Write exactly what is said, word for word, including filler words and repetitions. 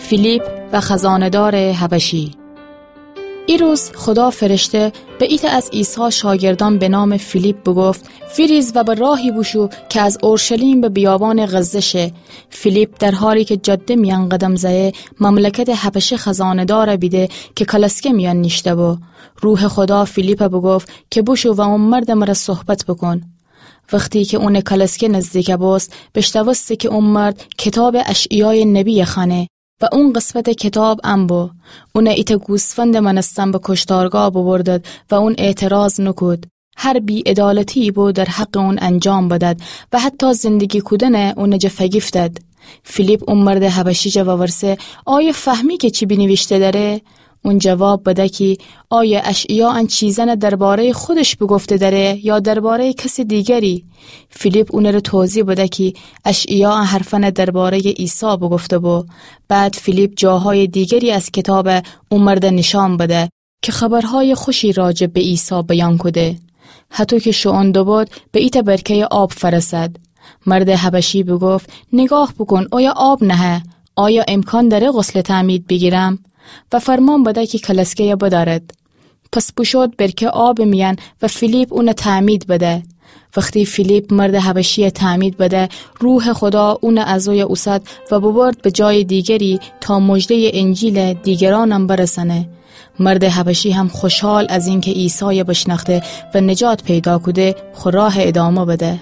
فیلیپ و خزانه‌دارٚ حبشی. ایروز خودا فرشته به ایتأ از عیسی شاگردأن به نامٚ فیلیپ بوگفت: فیریز و به راهی بوشو کی از اورشلیم به بیابانٚ غزه شه. فیلیپ در حالی کی جاده میأن قدم زأیه، مملکتٚ حبشه خزانه‌دار بیده کی کالسکه میأن نیشته بو. روحٚ خودا فیلیپ بوگفت کی بوشو و او مردٚ مره صحبت بوکون. وختی کی اونٚ کالسکه نزدیک بوست، بیشنوسته کی او مرد کتابٚ اشعیایٚ نبی خوأنه و او قسمتٚ کتاب ان بو. اون ایتأ گوسفندٚ مأنستن به کشتارگاه ببردد و او اعتراض نوکود. هر بی‌عدالتیی بو در حقٚ او انجام بدد و حتی زندگی کودن او جا فگیفتد. فیلیپ او مردٚ حبشی جا وورسه: آیا فهمی کی چی بینیویشته دأره؟ او جواب بده کی: آیا اشعیا ان چیزأن درباره‌یٚ خودش بوگفته دأره یا درباره‌یٚ کسٚ دیگری؟ فیلیپ اونٚ ره توضیح بده کی اشعیا ان حرفأن درباره‌یٚ عیسی بوگفته بو. بعد فیلیپ جاهایٚ دیگری از کتاب او مرد نیشأن بده کی خبرهایٚ خوشی راجع به عیسی بیان کوده. هطو کی شوئون دوبود، به ایتأ برکه‌یٚ آب فأرسد. مردٚ حبشی بوگفت: نیگاه بوکون، اویه آب نهه. آیا امکان دأره غسلٚ تعمید بیگیرم؟ و فرمان بده کی کالسکه‌یه بدأرد. پس بوشود برکه آبٚ میأن و فیلیپ اون تعمید بده. وختی فیلیپ مردٚ حبشیی تعمید بده، روحٚ خودا اون از اویه اوسد و ببرد به جایٚ دیگری تا مژده‌یٚ انجیل دیگرأنم برسأنه. مردٚ حبشی هم خوشحال از اینکی عیسای بیشنأخته و نجات پیدا کوده، خو راه ادامه بده.